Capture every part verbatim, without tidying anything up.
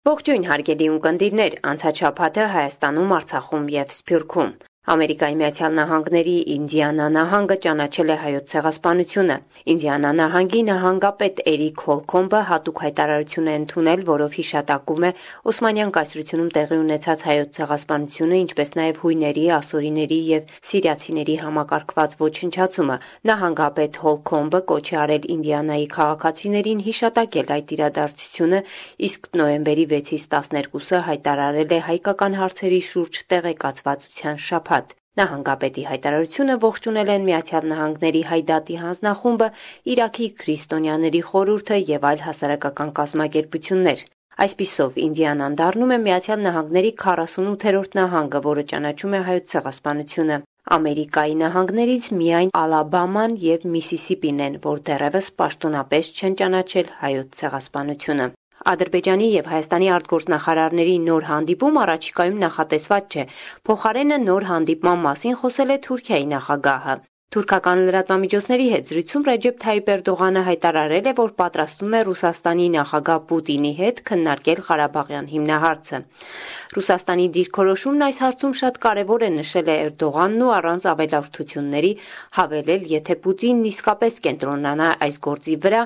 Ողջույն հարգելի ունկնդիրներ, անցած շաբաթը Հայաստանում, Արցախում և Սփյուռքում։ Ամերիկայի Միացյալ Նահանգների Ինդիանա նահանգը ճանաչել է Հայոց ցեղասպանությունը։ Ինդիանա նահանգի նահանգապետ Էրիկ Հոլքոմբը հատուկ հայտարարություն է ընդունել, որով հիշատակում է Օսմանյան կայսրությունում տեղի ունեցած Հայոց ցեղասպանությունը, ինչպես նաև հույների, ասորիների և սիրիացիների համակարգված ոչնչացումը։ Նահանգապետ Հոլքոմբը կոչ է արել Ինդիանայի քաղաքացիներին հիշատակել այդ իրադարձությունը, իսկ նոյեմբերի վեցից տասներկուսը հայտարարել է հայկական հարցերի շուրջ տեղեկացվածության շաբաթ։ Նահանգապետի հայտարարությունը ողջունել են Միացյալ Նահանգների Հայ դատի հանձնախումբը, Իրաքի քրիստոնյաների խորհուրդը և այլ հասարակական կազմակերպություններ։ Այսպիսով, Ինդիանան դառնում է Միացյալ Նահանգների քառասունութերորդ նահանգը, որը ճանաչում է Հայոց ցեղասպանությունը։ Ամերիկայի նահանգներից միայն Ալաբաման և Միսիսիպին են, որ դեռևս պաշտոնապես չեն ճանաչել Հայոց ցեղասպանությունը։ Ադրբեջանի և Հայաստանի արտգործնախարարների նոր հանդիպում առաջիկայում նախատեսված չէ։ Փոխարենը նոր հանդիպման մասին խոսել է Թուրքիայի նախագահը։ Թուրքական լրատվամիջոցների հետ զրույցում Ռեջեփ Թայիփ Էրդողանը հայտարարել է, որ պատրաստվում է Ռուսաստանի նախագահ Պուտինի հետ քննարկել Ղարաբաղյան հիմնահարցը։ Ռուսաստանի դիրքորոշումն այս հարցում շատ կարևոր է, նշել է Էրդողանն ու առանց ավելորդությունների հավելել, եթե Պուտինն իսկապես կենտրոնանա այս գործի վրա,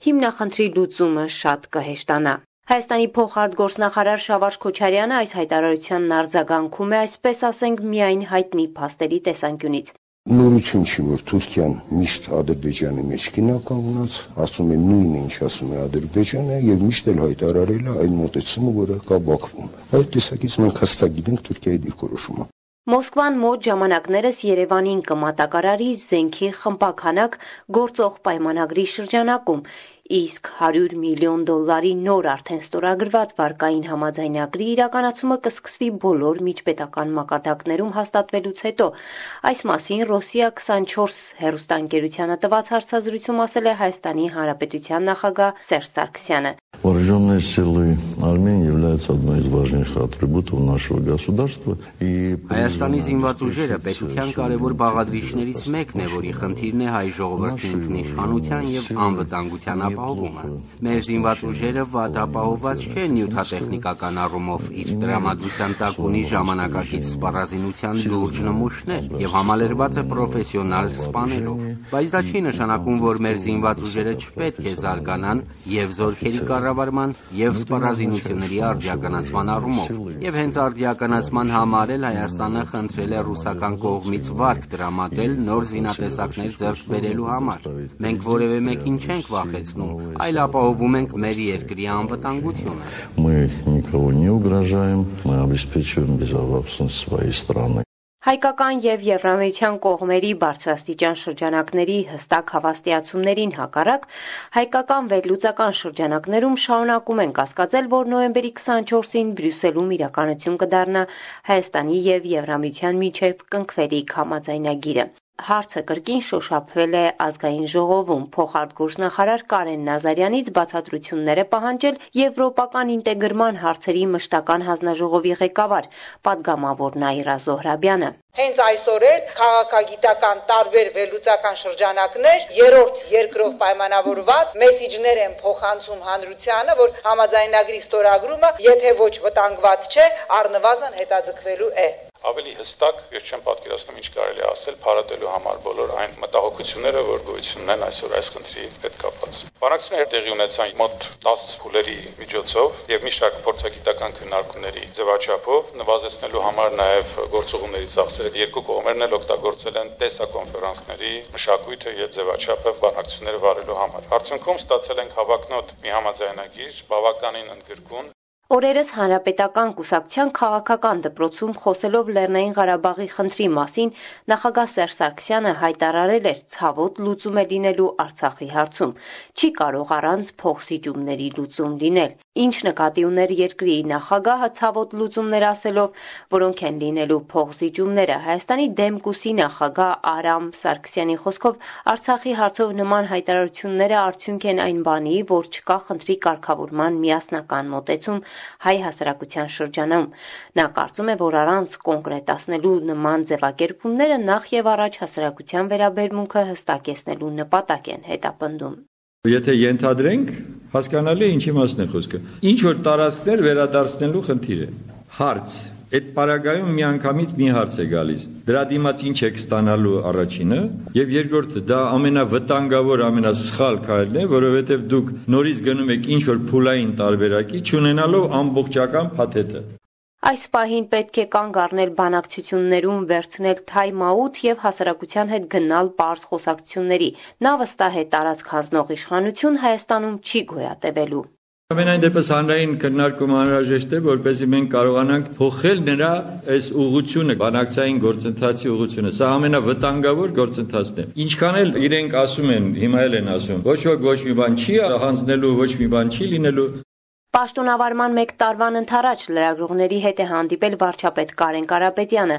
հիմնախնդրի լուծումը շատ կհեշտանա։ Հայաստանի փոխարտգործնախարար Շավարշ Քոչարյանը այս հայտարարությանն արձագանքում է, այսպես ասենք, միայն հայտնի փաստերի տեսանկյունից։ Նորություն չի, որ Թուրքիան միշտ Ադրբեջանի մեջ կինականգնած, ասում է նույնը, ինչ ասում է Ադրբեջանը, եւ միշտ էլ հայտարարել է այն մոտեցումը, որը կա Բաքվում։ Այդ տեսակից մենք հստակ գիտենք Թուրքիայի դիրքորոշումը։ Մոսկվան մոտ ժամանակներս Երևանին կմատակարարի զենքի խմբականակ գործող պայմանագրի շրջանակում, իսկ հարյուր միլիոն դոլարի նոր արդեն ստորագրված վարկային համաձայնագրի իրականացումը կսկսվի բոլոր միջպետական մակարդակներում հաստատվելուց հետո։ Այս մասին Ռոսիա քսանչորս հեռուստաընկերությանը տված հարցազրույցում ասել է Հայաստանի Հանրապետության նախագահ Սերժ Սարգսյանը։ Вооруженные силы Армении являются одной из важнейших атрибутов нашего государства. Հայաստանի զինված ուժերը պետության կարևոր բաղադրիչներից մեկն է, որի խնդիրն է հայ ժողովրդի ինքնիշխանության եւ անվտանգության ապահովումը։ Մեր զինված ուժերը վատ ապահովված չեն նյութատեխնիկական առումով, իսկ տրամադրության տակ ունի ժամանակակից սպառազինության լուրջ նմուշներ եւ համալրված է պրոֆեսիոնալ սպաներով։ Բայց դա չի նշանակում, որ մեր զինված ուժերը չպետք է զարգանան եւ զորքերի կառավարման եւ սպառազինությունների արդիականացման առումով։ Եվ հենց արդիականացման համար էլ Հայաստանը խնդրել է ռուսական կողմից վարկ տրամադրել նոր զինատեսակներ ձեռք բերելու համար։ Մենք որևէ մեկին չենք վախեցնում, այլ ապահովում ենք մեր երկրի անվտանգությունը։ Мы никого не угрожаем, мы обеспечиваем безопасность своей страны. Հայկական և Եվրամիության կողմերի բարձրաստիճան շրջանակների հստակ հավաստիացումներին հակառակ, հայկական վերլուծական շրջանակներում շարունակում են կասկածել, որ նոյեմբերի քսանչորսին Բրյուսելում իրականություն կդառնա Հայաստանի և Եվրամիության միջև կնքվելիք համաձայնագիրը։ Հարցը կրկին շոշափվել է Ազգային ժողովում, փոխարտգործնախարար Կարեն Նազարյանից բացատրություններ է պահանջել Եվրոպական ինտեգրման հարցերի մշտական հանձնաժողովի ղեկավար, պատգամավոր Նաիրա Զոհրաբյանը։ Հենց այսօր էլ քաղաքագիտական տարբեր վերլուծական շրջանակներ երրորդ երկրով պայմանավորված մեսիջներ են փոխանցում հանրությանը, որ համաձայնագրի ստորագրումը, եթե ոչ վտանգված չէ, առնվազն հետաձգվելու է։ Ավելի հստակ ես չեմ պատկերացնում ինչ կարելի է ասել փառատելու համար բոլոր այն մտահոգությունները, որ գոյություն ունեն այսօր այս խնդրի հետ կապված։ Բանակցությունները տեղի ունեցան մոտ տասը փուլերի միջոցով եւ մի շարք փորձագիտական քննարկումների ձևաչափով, նվազեցնելու համար նաեւ գործողումների ծախսերը երկու կողմերն էլ օգտագործել են տեսակոնֆերանսների մշակույթը եւ ձևաչափը բանակցությունները վարելու համար։ Արդյունքում ստացել ենք հավակնոտ մի համաձայնագիր, բավականին ընդգրկուն։ Օրերս Հանրապետական կուսակցության քաղաքական դպրոցում խոսելով Լեռնային Ղարաբաղի խնդրի մասին նախագահ Սերժ Սարգսյանը հայտարարել էր ցավոտ լուծում է լինելու Արցախի հարցում։ Չի կարող առանց փոխսիջումների լուծում լինել։ Ինչ նկատի ուներ երկրի նախագահը ցավոտ լուծումներ ասելով, որոնք են լինելու փոխսիջումները։ Հայաստանի Դեմկուսի նախագահ Արամ Սարգսյանի խոսքով Արցախի հարցով նման հայտարարությունները արդյունք են այն բանի, որ չկա խնդրի կարգավորման միասնական մոտեցում հայ հասարակության շրջանում։ Նա կարծում է, որ առանց կոնկրետացնելու նման ձևակերպումները նախ եւ առաջ հասարակության վերաբերմունքը հստակեցնելու նպատակ են հետապնդում։ Եթե ենթադրենք, հասկանալի է ինչ իմաստն է խոսքը։ Ինչ որ տարածքներ վերադարձնելու խնդիր է։ Հարց Այդ պարագայում միանգամից մի հարց է գալիս. դրա դիմաց ինչ եք ստանալու առաջինը, եւ երկրորդը դա ամենավտանգավոր, ամենասխալ քայլն է, որովհետեւ դուք նորից գնում եք ինչ որ փուլային տարբերակի, չունենալով ամբողջական փաթեթը։ Այս պահին պետք է կանգ առնել բանակցություններում, վերցնել թայմ-աութ եւ հասարակության հետ գնալ պարզ խոսակցությունների։ Նա վստահ է տարածք հանձնող իշխանություն Հայաստանում չի գոյատևելու։ Ամենայն դեպս հանրային քննարկումը անհրաժեշտ է, որպեսզի մենք կարողանանք փոխել նրա այս ուղղությունը, բանակցային գործընթացի ուղղությունը։ Սա ամենավտանգավոր գործընթացն է։ Ինչքան էլ իրենք ասում են, հիմա էլ են ասում, ոչ ոք ոչ մի բան չի հանձնելու, ոչ մի բան չի լինելու։ Պաշտոնավարման մեկ տարվան ընթരാճ լրագրողների հետ է հանդիպել վարչապետ Կարեն Կարապետյանը։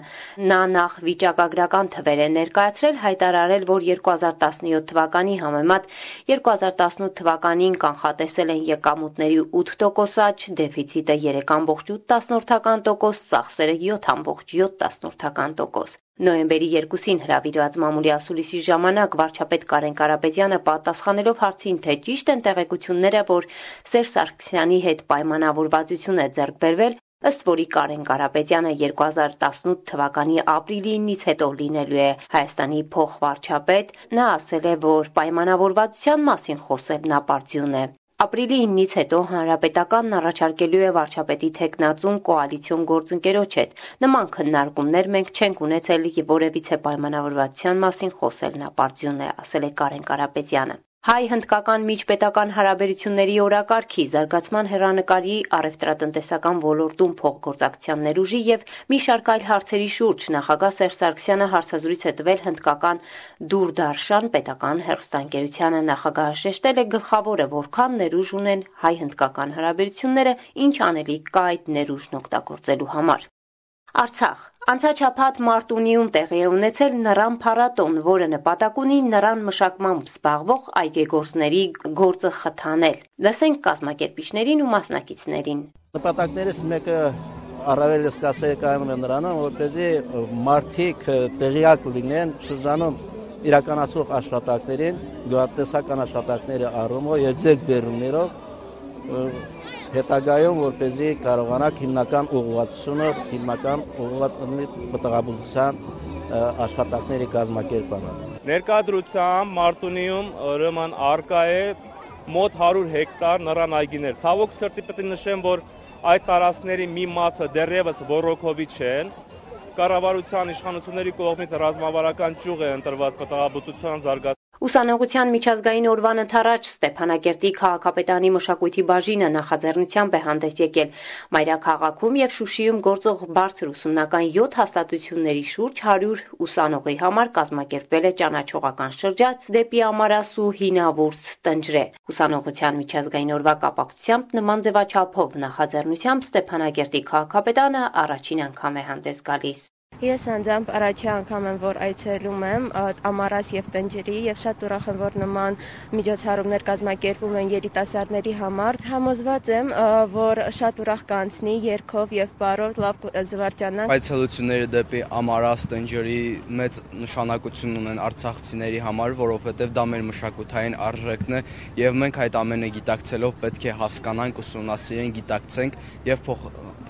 Նա նախ վիճակագրական թվեր է ներկայացրել, հայտարարել, որ երկու հազար տասնյոթ թվականի համեմատ երկու հազար տասնութ թվականին կանխատեսել են եկամուտների ութ տոկոս աճ, դեֆիցիտը երեք կόμma ութ տոկոս, ծախսերը յոթ կόμma յոթ տոկոս։ Նոյեմբերի երկուսին հրավիրված մամուլի ասուլիսի ժամանակ վարչապետ Կարեն Կարապետյանը պատասխանելով հարցին, թե ճիշտ են տեղեկությունները, որ Սերժ Սարգսյանի հետ պայմանավորվածություն է ձեռք բերվել, ըստ որի Կարեն Կարապետյանը երկու հազար տասնութ թվականի ապրիլի ինից հետո լինելու է Հայաստանի փոխվարչապետ, նա ասել է, որ պայմանավորվածության մասին խոսելն ապարդյուն է։ Ապրիլի ինից հետո հանրապետականն առաջարկելու է վարչապետի թեկնածուն կոալիցիոն գործընկերոջ հետ։ Նման քննարկումներ մենք չենք ունեցել, որևիցե պայմանավորվածության մասին խոսելն ապարդյուն է, ասել է Կարեն Կարապետյանը։ Հայ-հնդկական միջպետական հարաբերությունների օրակարգի, զարգացման հեռանկարի, առևտրատնտեսական ոլորտում փոխգործակցության ներուժի եւ մի շարք այլ հարցերի շուրջ նախագահ Սերժ Սարգսյանը հարցազրույց է տվել հնդկական Դուրդարշան պետական հեռուստաընկերությանը։ Նախագահը շեշտել է գլխավորը, որքան ներուժ ունեն հայ-հնդկական հարաբերությունները, ինչ անելիք կա այդ ներուժն օգտագործելու համար։ Արցախ Անցաչափած Մարտունիում տեղի է ունեցել նռան փառատոն, որը նպատակ ունի նռան մշակմամբ զբաղվող այգեգործների գործը խթանել։ Լսենք կազմակերպիչներին ու մասնակիցներին։ Նպատակներից մեկը առավելս կասեի կայանում է նրանում, որպեսզի մարդիկ տեղյակ լինեն շրջանում իրականացող աշխատանքներին, գյուղատնտեսական աշխատանքների առումով եւ ձեռքբերումներով հետագայում որպեսզի կարողանանք հիմնական ուղղվածությունը, հիմնական ուղղված մտահոգության աշխատանքների կազմակերպանը։ Ներկայդրությամբ Մարտունիում ուրեմն արկա է մոտ հարյուր հեկտար նռան այգիներ։ Ցավոք սրտի պետք է նշեմ, որ այդ տարածքների մի մասը դեռևս ոռոգովի չեն։ Կառավարության իշխանությունների կողմից ռազմավարական ճյուղ է ընտրված մտահոգության զարգացման Ուսանողության միջազգային օրվան ընթരാճ Ստեփանակերտի քաղաքապետարանի մշակույթի բաժինը նախաձեռնությամբ է հանդես եկել Մայրաքաղաքում եւ Շուշիում գործող բարձր ուսումնական յոթ հաստատությունների շուրջ հարյուր ուսանողի համար կազմակերպվել է ճանաչողական շրջաց դեպի Ամարասու հինավուրց տնջրե։ Ուսանողության միջազգային օրվա կապակցությամբ նման ձևաչափով նախաձեռնությամբ Ստեփանակերտի քաղաքապետարանը առաջին անգամ է հանդես գալիս։ Ես անձամբ առաջի անգամ եմ, որ այցելում եմ Ամարաս եւ Տնջրի եւ շատ ուրախ եմ, որ նման միջոցառումներ կազմակերպվում են երիտասարդների համար։ Համոզված եմ, որ շատ ուրախ կանցնի երգով եւ բարով լավ զվարճանանք։ Այցելությունները դեպի Ամարաս Տնջրի մեծ նշանակություն ունեն արցախցիների համար, որովհետեւ դա մեր մշակութային արժեքն է եւ մենք այդ ամենը գիտակցելով պետք է հասկանանք, ուսումնասիրենք, գիտակցենք եւ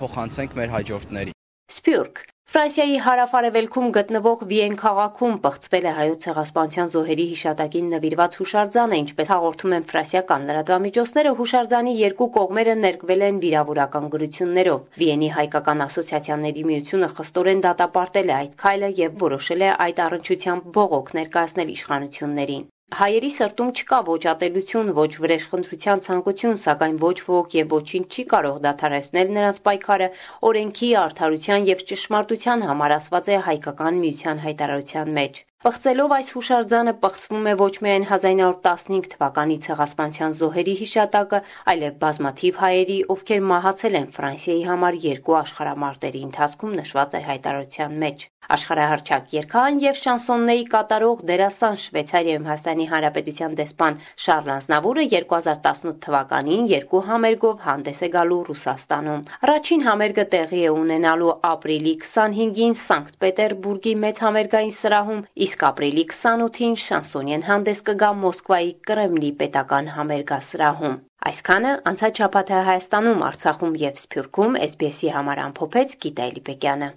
փոխանցենք մեր հաջորդներին։ Սփյուռք Ֆրանսիայի հարավ-արևելքում գտնվող Վիեն քաղաքում պղծվել է հայոց ցեղասպանության զոհերի հիշատակին նվիրված հուշարձանը, ինչպես հաղորդում են ֆրանսիական լրատվամիջոցները, հուշարձանի երկու կողմերը ներկվել են վիրավորական գրություններով։ Վիենի հայկական ասոցիացիաների միությունը խստորեն դատապարտել է այդ քայլը եւ որոշել է այդ առնչությամբ բողոք ներկայացնել իշխանություններին։ Հայերի սրտում չկա ոչ ատելություն, ոչ վրեժխնդրության ցանկություն, սակայն ոչ ոք եւ ոչինչ չի կարող դադարեցնել նրանց պայքարը օրենքի, արդարության եւ ճշմարտության համար, ասված է հայկական միության հայտարարության մեջ։ Պղծելով այս հուշարձանը պղծվում է ոչ միայն հազար նույն հարյուր տասնհինգ թվականի ցեղասպանության զոհերի հիշատակը, այլև բազմաթիվ հայերի, ովքեր մահացել են Ֆրանսիայի համար երկու աշխարհամարտերի ընթացքում, նշված է հայտարարության մեջ։ Աշխարհահռչակ երգահան եւ շանսոննեի կատարող դերասան Շվեյցարիայում Հայաստանի Հանրապետության դեսպան Շարլ Ազնավուրը երկու հազար տասնութ թվականին երկու համերգով հանդես է գալու Ռուսաստանում։ Առաջին համերգը տեղի է ունենալու ապրիլի քսանհինգին Սանկտ Պետերբուրգի մեծ համերգային սրահում, իսկ իսկ ապրիլի քսանութին Շանսոնյեն հանդես կգա Մոսկվայի Կրեմլի պետական համերգասրահում։ Այսքանը անցած շաբաթը Հայաստանում, Արցախում եւ Սփյուռքում էս բի էսի համար ամփոփեց Գիտա Էլիպեկյանը։